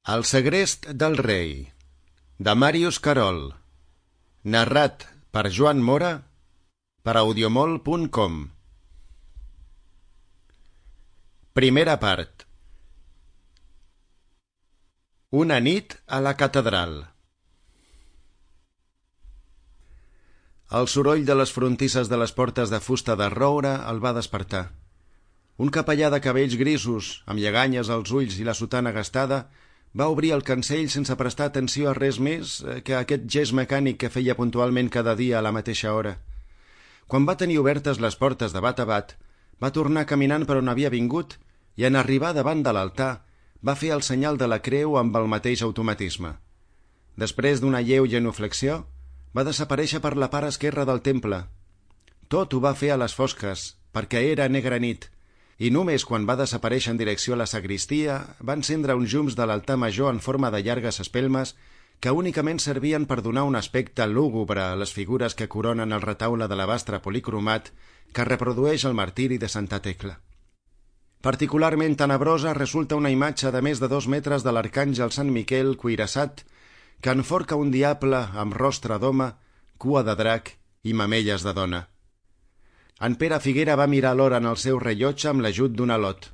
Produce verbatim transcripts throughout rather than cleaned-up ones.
El segrest del rei, de Màrius Carol, narrat per Joan Mora, per audiomol punt com. Primera part. Una nit a la catedral. El soroll de les frontisses de les portes de fusta de roure el va despertar. Un capellà de cabells grisos, amb lleganyes als ulls i la sotana gastada, va obrir el cancell sense prestar atenció a res més que a aquest gest mecànic que feia puntualment cada dia a la mateixa hora. Quan va tenir obertes les portes de bat a bat, va tornar caminant per on havia vingut i en arribar davant de l'altar va fer el senyal de la creu amb el mateix automatisme. Després d'una lleu genuflexió, va desaparèixer per la part esquerra del temple. Tot ho va fer a les fosques, perquè era negra nit, i només quan va desaparèixer en direcció a la sagristia va encendre uns llums de l'altar major en forma de llargues espelmes que únicament servien per donar un aspecte lúgubre a les figures que coronen el retaule de l'alabastre policromat que reprodueix el martiri de Santa Tecla. Particularment tenebrosa resulta una imatge de més de dos metres de l'arcàngel Sant Miquel cuirassat que enforca un diable amb rostre d'home, cua de drac i mamelles de dona. En Pere Figuera va mirar l'hora en el seu rellotge amb l'ajut d'un alot.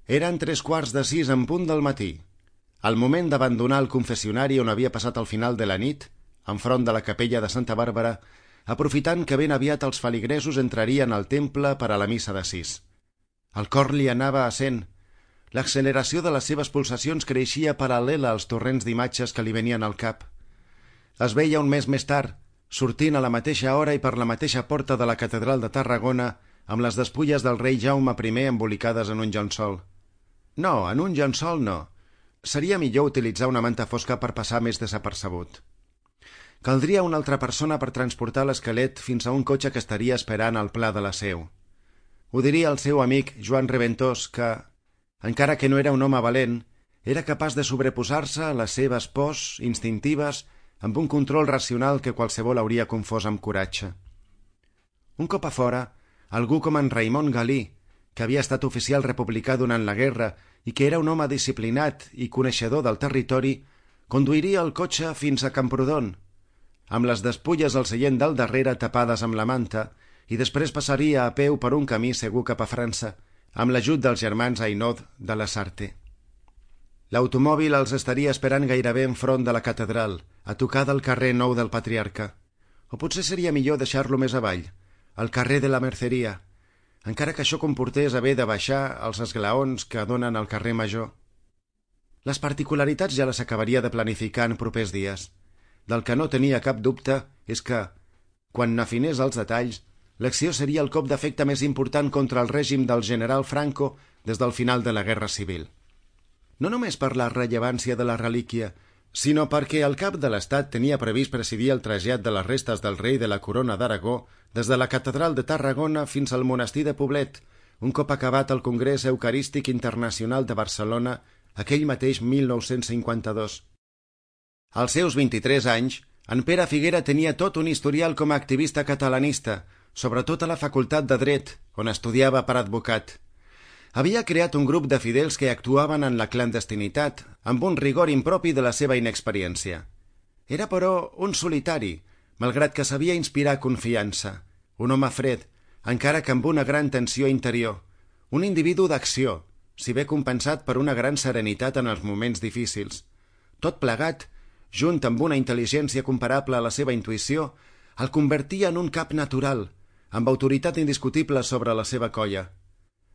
Eren tres quarts de sis en punt del matí. Al moment d'abandonar el confessionari on havia passat el final de la nit, enfront de la capella de Santa Bàrbara, aprofitant que ben aviat els feligresos entrarien al temple per a la missa de sis. El cor li anava a cent. L'acceleració de les seves pulsacions creixia paral·lela als torrents d'imatges que li venien al cap. Es veia un mes més tard, sortint a la mateixa hora i per la mateixa porta de la catedral de Tarragona amb les despulles del rei Jaume primer embolicades en un llençol. No, en un llençol no. Seria millor utilitzar una manta fosca per passar més desapercebut. Caldria una altra persona per transportar l'esquelet fins a un cotxe que estaria esperant al pla de la Seu. Ho diria el seu amic Joan Reventós que, encara que no era un home valent, era capaç de sobreposar-se a les seves pors instintives amb un control racional que qualsevol hauria confós amb coratge. Un cop a fora, algú com en Raimon Galí, que havia estat oficial republicà durant la guerra i que era un home disciplinat i coneixedor del territori, conduiria el cotxe fins a Camprodon, amb les despulles al seient del darrere tapades amb la manta, i després passaria a peu per un camí segur cap a França, amb l'ajut dels germans Ainaud de la Sarte. L'automòbil els estaria esperant gairebé enfront de la catedral, a tocar del carrer Nou del Patriarca. O potser seria millor deixar-lo més avall, al carrer de la Merceria, encara que això comportés haver de baixar els esglaons que donen al carrer Major. Les particularitats ja les acabaria de planificar en propers dies. Del que no tenia cap dubte és que, quan n'afinés els detalls, l'acció seria el cop d'efecte més important contra el règim del general Franco des del final de la Guerra Civil. No només per la rellevància de la relíquia, sinó perquè el cap de l'Estat tenia previst presidir el trasllat de les restes del rei de la Corona d'Aragó des de la catedral de Tarragona fins al monestir de Poblet, un cop acabat el Congrés Eucarístic Internacional de Barcelona aquell mateix mil nou-cents cinquanta-dos. Als seus vint-i-tres anys, en Pere Figuera tenia tot un historial com a activista catalanista, sobretot a la Facultat de Dret, on estudiava per advocat. Havia creat un grup de fidels que actuaven en la clandestinitat, amb un rigor impropi de la seva inexperiència. Era, però, un solitari, malgrat que sabia inspirar confiança, un home fred, encara que amb una gran tensió interior, un individu d'acció, si bé compensat per una gran serenitat en els moments difícils. Tot plegat, junt amb una intel·ligència comparable a la seva intuïció, el convertia en un cap natural, amb autoritat indiscutible sobre la seva colla.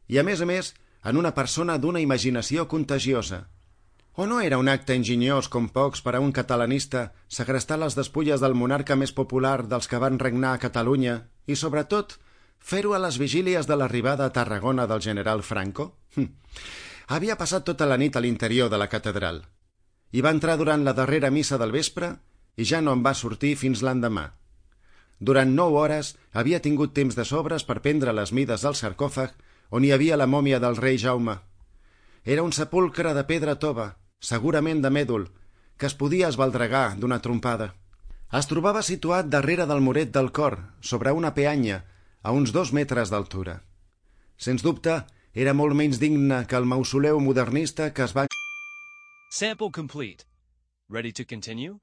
I, a més a més, en una persona d'una imaginació contagiosa. O no era un acte enginyós com pocs per a un catalanista segrestar les despulles del monarca més popular dels que van regnar a Catalunya i, sobretot, fer-ho a les vigílies de l'arribada a Tarragona del general Franco? Hm. Havia passat tota la nit a l'interior de la catedral. Hi va entrar durant la darrera missa del vespre i ja no en va sortir fins l'endemà. Durant nou hores havia tingut temps de sobres per prendre les mides del sarcòfag on hi havia la mòmia del rei Jaume. Era un sepulcre de pedra tova, segurament de mèdul, que es podia esbaldregar d'una trompada. Es trobava situat darrere del muret del cor, sobre una peanya, a uns dos metres d'altura. Sens dubte, era molt menys digne que el mausoleu modernista que es va Sample complete. Ready to continue?